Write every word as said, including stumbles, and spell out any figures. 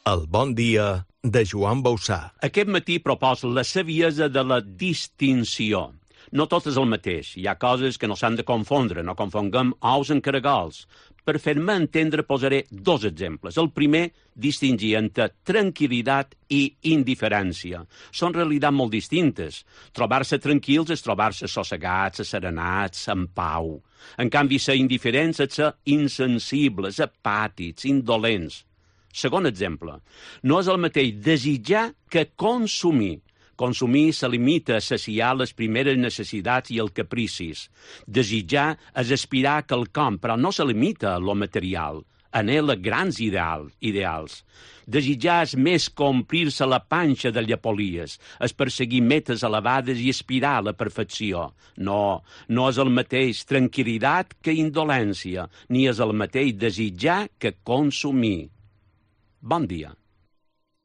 El bon dia de Joan Bauçà. Aquest matí proposo la saviesa de la distinció. No tot és el mateix. Hi ha coses que no s'han de confondre. No confonguem ous amb caragols. Per fer-me entendre posaré dos exemples. El primer, distingir entre tranquil·litat i indiferència. Són realitats molt distintes. Trobar-se tranquils és trobar-se sossegats, asserenats, en pau. En canvi, ser indiferents és ser insensibles, apàtics, indolents. Segon exemple, no és el mateix desitjar que consumir. Consumir se limita a saciar les primeres necessitats i els capricis. Desitjar és aspirar a quelcom, però no se limita a lo material. Anhela grans ideal, ideals. Desitjar és més que omplir-se la panxa de llepolies, és perseguir metes elevades i aspirar a la perfecció. No, no és el mateix tranquil·litat que indolència, ni és el mateix desitjar que consumir. Bon dia.